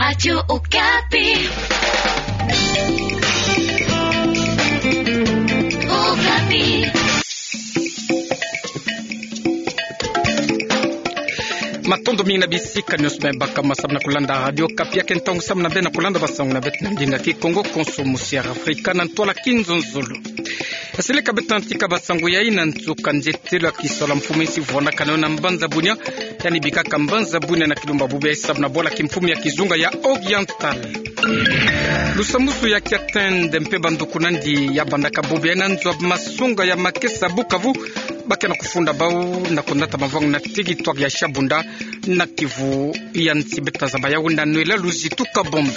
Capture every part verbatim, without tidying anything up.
Radio Okapi. Okapi. Matondo mingi na bisika nyonso bima baka ma samu na kulanda Radio Okapi. Ya ke ntangu samu na beno na kulanda basango na beto na ndinga Kikongo, konso musi ya Afrika na ntwala kinzonzolo. Seleka beto na tika basango yai na nsuka. Nzietelo ya kisola mfumu ya insi vwanakana yo na mbanza Bunia, yandi bikaka mbanza Bunia na kilumba bubu yai samu na bwala kimfumu ya kizunga ya Oriental. Lusambwasu ya Kiatende mpe banduku na yandi ya bandaka bubu yai na nzo ya masonga ya makesa Bukavu, ba ke na kufunda bau na kunata mavwanga na territoire ya Shabunda na Kivu ya nsi. Beto ta zaba yau na Noëlla Luzitu Kabombi.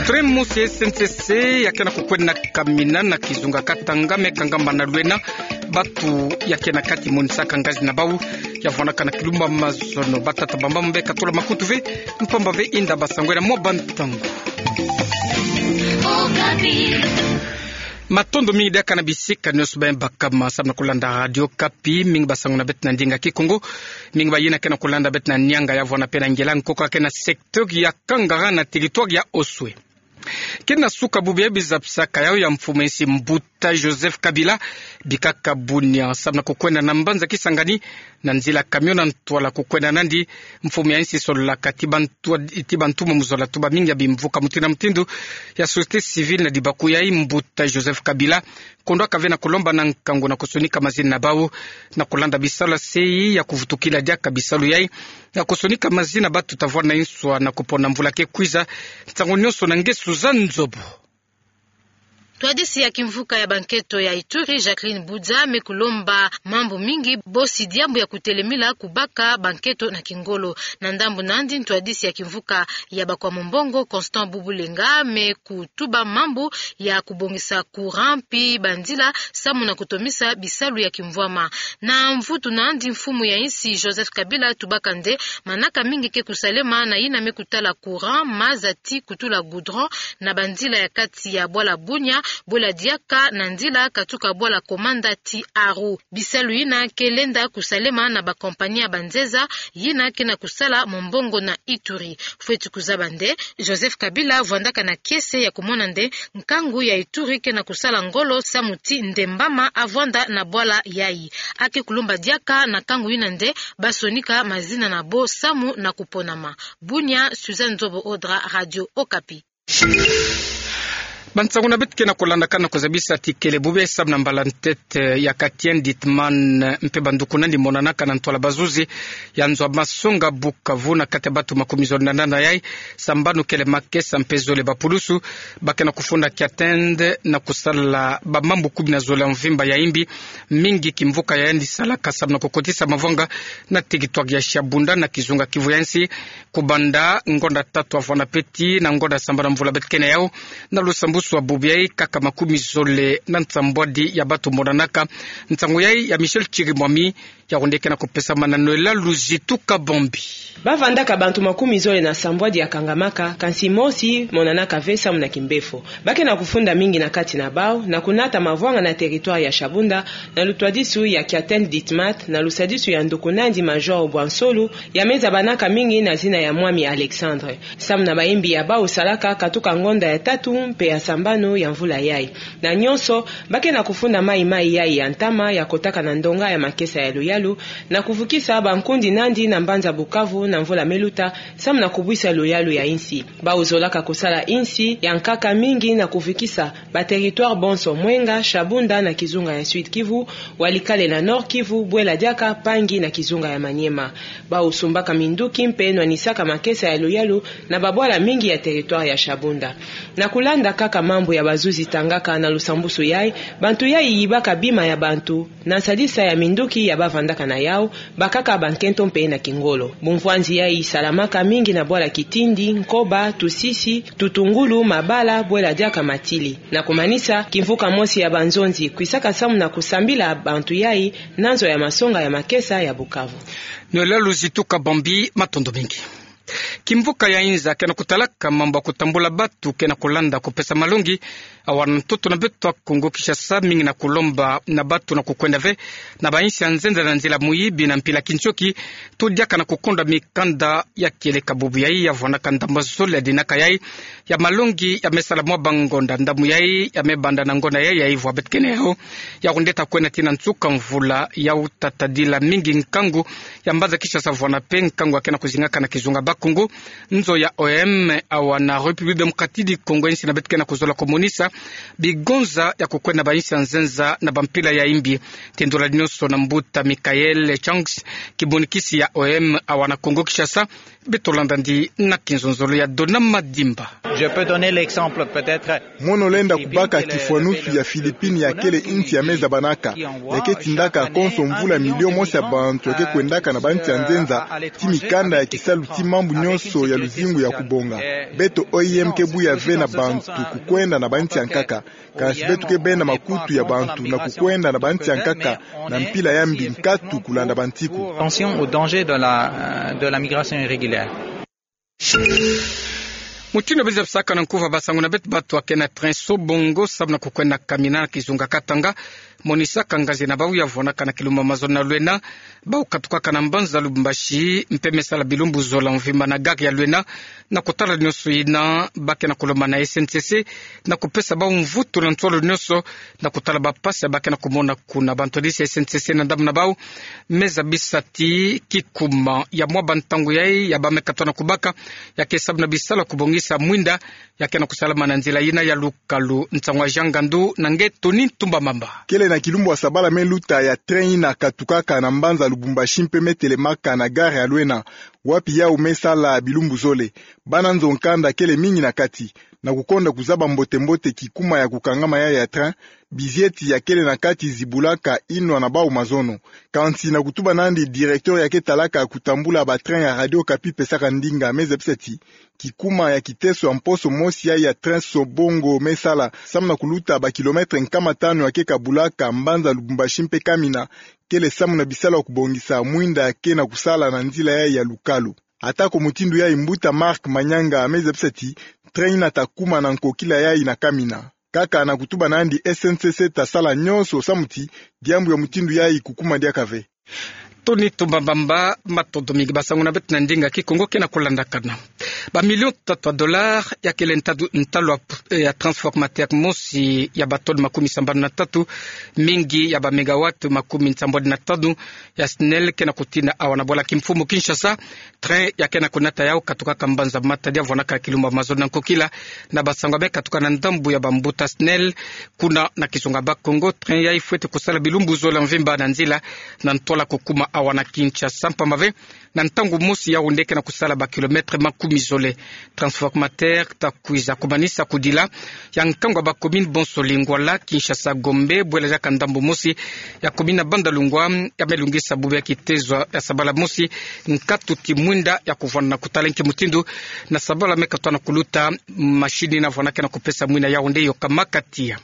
Train mosi ya S N C C ya ke na kukwenda na Kamina na kizunga Katanga, me kangamba na Luena, batu ya ke na kati monisaka ngazi na bau ya vwanaka na kilumba mazono. Batata bamama beka tula makutu ve, mpamba ve inda basango yai na mwa bantangu. Matondo mingi diaka na bisika nyonso bima baka ma samu na kulanda Radio Okapi. Mingi basango na beto na ndinga Kikongo, mingi bayina ke na kulanda beto na Nianga ya vwanda mpe na Ngela, nkoko ya ke na secteur ya Kangara na territoire ya Oswe. Ke na suka bubu ya bizapisaka yau ya mfumu ya insi Mbuta Joseph Kabila bikaka Bunia samu na kukwenda na mbanza Kisangani na nzila camion na ntwala kukwenda na yandi. Mfumu ya insi sololaka ti bantu, ti bantu mo mu zola tuba mingi ya bimvuka mutindu na mutindu ya société civile na dibaku yai. Mbuta Joseph Kabila kondwaka ve na kulomba na nkangu na kusonika mazina na bau na kulanda bisalu ya sei ya kuvutukila diaka bisalu yai na kusonika mazina batu ta vwanda na inswa na kupona mvula ke kwiza. Nsangu nyonso na nge Suzanne Nzobo. Ntwadisi ya kimvuka ya bankento ya Ituri, Jacqueline Budza, me kulomba mambu mingi bosi diambu ya kutelemila kubaka bankento na kingolo. Na ndambu na yandi, ntwadisi ya kimvuka ya bakwa mombongo, Constant Bubulenga, me kutuba mambu ya kubongisa courant mpi banzila samu na kutomisa bisalu ya kimvwama. Na mvutu na yandi, mfumu ya insi Joseph Kabila tubaka nde manaka mingi ke kusalema na yina me kutala courant, maza ti kutula goudron na banzila ya kati ya bwala Bunia, bwela diaka na nzila katuka bwala Komanda ti Aru. Bisalu yina ke lenda kusalema na bakompani ya banzeza yina ke na kusala mombongo na Ituri. Fweti kuzaba nde Joseph Kabila vwandaka na kiese ya kumona nde nkangu ya Ituri ke na kusala ngolo samu ti ndembama avwanda na bwala yai. A ke kulomba diaka na nkangu yina nde basonika mazina na bo samu na kuponama. Bunia, Suzanne Nzobo Odra, Radio Okapi. Bansangu na beto ke na kulandakana na kuzabisa ti kele bubu yai samu na mbala ntete ya Katien Ditman mpe banduku na yandi monanaka na ntwala bazuzi ya nzo ya masonga Bukavu, na kati ya batu makumi zole na nana yai, sambanu kele makesa mpe zole bapulusu, ba ke na kufunda Kiatende na kusala bamambu kumi na zole ya mvimba ya imbi, mingi kimvuka ya yandi salaka samu na kukotisa mavwanga na territoire ya Shabunda na kizunga Kivu ya nsi, kubanda ngonda tatu ya vwanda peti na ngonda sambanu ya mvula beto ke na yau. Na lusambwasu ya bubu yai, kaka makumi zole na nsambwadi ya batu monanaka. Nsangu yai ya Michel Chirimwami, ya wonde ke na kupesama na Noëlla Luzitu Kabombi. Ba vandaka bantu makumi zole na sambwadi ya kangamaka, kansi mosi monanaka ve samu na kimbefo. Ba ke na kufunda mingi na kati na bau na kunata mavwanga na territoire ya Shabunda, na lutwadisu ya Kiatende Ditmat, na lusadisu ya nduku na yandi Major Bwansolu, ya me zabanaka mingi na zina ya Mwami Alexandre. Samu na bayimbi ya bau salaka katuka ngonda ya tatu mpe ya sambanu ya mvula yai. Na nyonso, ba ke na kufunda maimai yai ya ntama ya kotaka na ndonga ya makesa ya luyalu, na kuvukisa bankundi na yandi na mbanza Bukavu na mvula me luta, samu na kubwisa luyalu ya insi. Bau zolaka kusala insi ya nkaka mingi na kuvukisa ba territoire bonso: Mwenga, Shabunda na kizunga ya Sud Kivu, Walikale na Nord Kivu, bwela diaka Pangi na kizunga ya Maniema. Bau sumbaka minduki mpe nwanisaka makesa ya luyalu na babwala mingi ya territoire ya Shabunda. Na kulanda kaka mambu ya bazuzi tangaka na lusambwasu yai, bantu yai yibaka bima ya bantu na nsalisa ya minduki ya ba vandaka na yau, bakaka bankento mpe na kingolo. Bumvwanzi yai salamaka mingi na bwala Kitindi, Nkoba, Tusisi, Tutungulu, Mabala, bwela diaka Matili. Na kumanisa, kimvuka mosi ya banzonzi kwisaka samu na kusambila bantu yai na nzo ya masonga ya makesa ya Bukavu. Noëlla Luzitu Kabombi, matondo mingi. Kimvuka ya inza ke na kutalaka mambu ya kutambula batu ke na kulanda kupesa malongi, awa na ntoto na beto ya Kongo Kinshasa, mingi na kulomba na batu na kukwenda ve na bainsi ya nzenza na nzila muyibi na mpila kintioki, to diaka na kukonda mikanda ya kieleka. Bubu yayi ya vwanaka ndambu zole ya dinaka yayi ya malongi ya me sala mwa bangonda. Ndambu yayi ya me banda na ngonda yayi ya ivwa beto ke na yawu. Yawu nde ta kwenda tii na nsuka mvula, yawu ta tadila mingi nkangu ya mbanza Kinshasa, vwana mpe nkangu ya ke na kuzingaka na kizunga Bakongo. Nzo ya O M awa na République Démocratique du Congo, insi na beto ke na kuzola kumonisa bigonza ya kukwenda na bainsi ya nzenza na bampila ya imbi. Tindula nyonso na mbuta Michael Changs, kimonikisi ya O M awa na Kongo Kinshasa. Beto landa ndi na kinzonzolo ya Dona Madimba. Je peux donner l'exemple peut-être. Mono lenda kubaka kifwanusu ya Philippines, ya kele insi ya me zabanaka, ya ke tindaka konso mvula milio mosi ya bantu ya ke kwendaka na bansi ya nzenza, tii mikanda ya kisalu tii mambu nyonso ya luzingu ya kubonga. Beto O I M ke buya ve na bantu kukwenda na bansi ya nkaka. Kansi beto ke benda makutu ya bantu na kukwenda na bansi ya nkaka na mpila ya mbi nkatu kulanda bansiku. Attention au danger de la, euh, de la migration irrégulière. Mutindu biza bisaka na nkuva basangu na beto, batu ya ke na train Sobongo samu na kukwenda Kamina na kizunga Katanga, monisaka ngazi na bawu ya vwanaka na kilumbu mazono na lwena. Bawu katukaka na mbanza Lubumbashi mpe me sala bilumbu zola mvimba na gare ya lwena. Na kutala nyonso yina, ba ke na kulomba na S N C C na kupesa bawu mvutu na ntwala nyonso na kutala bampasi ya ba ke na kumona kuna. Bantwadisi ya S N C C na ndambu na bawu me zabisa ti kikuma ya mwa bantangu yayi ya ba me katuka na kubaka ya ke samu na bisalu ya kubongisa mwinda ya ke na kusalama na nzila yina ya lukalu. Nsangu ya Jean Ngandu na nge Tony Ntumba Mamba. Kele na kilumbu ya sabala me luta ya train yina katukaka na mbanza Lubumbashi mpe me telemaka na gare ya lwena, wapi yawu me sala bilumbu zole. Bana nzo nkanda kele mingi na kati. Na kukonda kuzaba mbote-mbote kikuma ya kukangama yayi ya train, bizieti ya kele na kati zibulaka inwa na bawu mazono. Kansi na kutuba nandi directeur ya ke talaka kutambula ba train ya Radio Okapi pesaka ndinga, me zabisa ti kikuma ya kiteso ya mposo mosi yayi ya train Sobongo me sala samu na kuluta ba kilomètre nkama tanu ya ke kabulaka mbanza Lubumbashi mpe Kamina, kele samu na bisalu ya kubongisa mwinda ya ke na kusala na nzila yayi ya lukalu. Atako mutindu yayi, mbuta Marc Manyanga me zabisa ti train yina ta kuma na nkokila yayi na Kamina. Kaka na kutuba nandi, S N C C ta sala nyonso samu ti diambu ya mutindu yayi kukuma diaka ve. Tony Ntumba Mamba, matondo mingi. Basangu na beto na ndinga Kikongo ke na kulandakana. Ba millions tatu ya dollars ya kele ntadu-, ntalu ya p-, eh, ya transformateur mosi ya ba tonnes makumi sambanu na tatu, mingi ya ba mégawatts makumi nsambwadi na tanu ya SNEL ke na kutina awa na bwala kimfumu Kinshasa. Train ya ke na kunata yawu katukaka mbanza Matadi ya vwanaka kilumbu mazono na nkokila. Na basangu ya me katuka na ndambu ya bambuta SNEL kuna na kizunga Bakongo, train yayi fwete kusala bilumbu zola mvimba na nzila na ntwala kukuma awa na Kinshasa, mpamba ve na ntangu mosi yawu nde ke na kusala ba kilomètre makumi zole. Transformateur ta kwiza kumanisa kudila ya nkangu ya ba commune bonso, Lingwala, Kinshasa, Gombe, bwela diaka ndambu mosi ya commune ya Bandalungwa, ya me lungisa bubu ya kitezo ya sabala mosi nkatu ti mwinda ya kuvwanda na kutala nki mutindu na sabala me katuka na kuluta, machine yina vwanaka na kupesa mwinda yawu nde yokamaka tiya.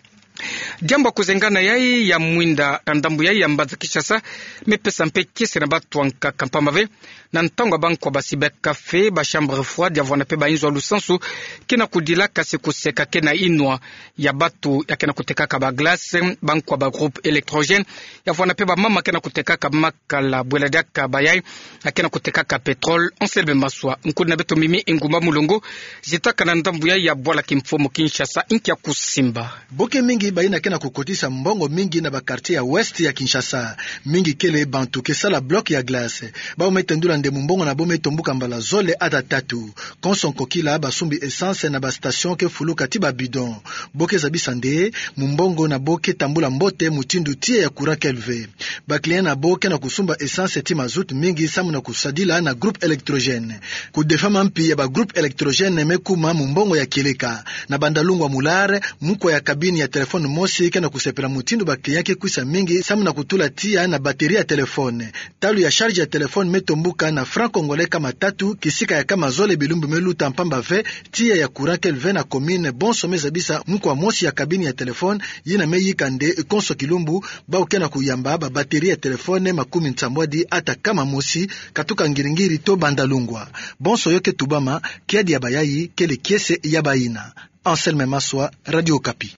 Diambu ya kuzengana yayi ya mwinda na ndambu yayi ya mbanza Kinshasa me pesa mpe kiese na batu ya nkaka, mpamba ve na ntangu ya bankwa basi ba café, ba chambre froide, ya vwanda mpe ba inzo ya lusansu ke na kudila, kasi kuseka ke na inwa ya batu ya ke na kutekaka ba glace, bankwa ba groupe électrogène, ya vwanda mpe bamama ke na kutekaka makala, bwela diaka bayayi ya ke na kutekaka pétrole. Anselme Maswa, nkuna na beto Mimi Ingumba Mulongo, zitaka na ndambu yayi ya bwala kimfumu Kinshasa, nki ya kusimba. Boke mingi bayina ke na kukotisa mbongo mingi na ba quartier ya ouest ya Kinshasa. Mingi kele bantu ke sala bloc ya glace. Bawu me tendula nde mumbongo na bo me tombuka mbala zole ata tatu. Konso nkokila basumbi essence na ba station ke fuluka ti ba bidon. Bo ke zabisa nde mumbongo na bo ke tambula mbote mutindu tiya ya courant kele ve. Ba client na bo ke na kusumba essence ti mazout mingi samu na kusadila na groupe électrogène. Kudefama mpi ya ba groupe électrogène me kuma mumbongo ya kieleka. Na Bandalungwa Mulare, mukwa ya cabine ya téléphone mosi Mosi ke na kusepela mutindu ba client ke kwisa mingi samu na kutula tiya na batterie ya téléphone. Talu ya charge ya téléphone me tombuka na franc congolais kama tatu, kisika ya kama zole bilumbu me luta, mpamba ve tiya ya courant kele ve na commune. Bonso me zabisa mukwa mosi ya cabine ya téléphone yina me yika nde konso kilumbu, bawu ke na kuyamba ba batterie ya téléphone makumi nsambwadi ata kama mosi, katuka ngiri-ngiri to banda lungwa. Bonso yo ke tubama, kiadi ya bayayi kele kiese ya bayina. Anselme Maswa, Radio Okapi.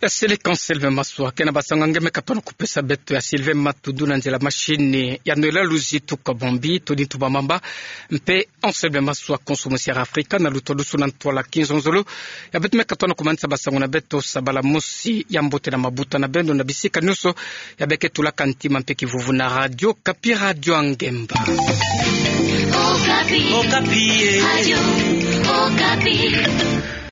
Ya seleka Anselme Maswa. Ke na basango ya nge me katona kupesa beto ya Sylvain Matudou na nzila machine ya Noël Luzi tuka Bambi, Tony Tubamamba, mpe Anselme Maswa konso mosi ya Air Africa na luto lusu na ntwala kinzonzolo. Ya beto me katona kumanisa basango na beto sabala mosi. Ya mbote na mabuta na beno na bisika nyonso ya be ke tulaka ntima mpe kivuvu na Radio Okapi, radio ya ngemba. Okapi. Okapi, eh. Radio Okapi.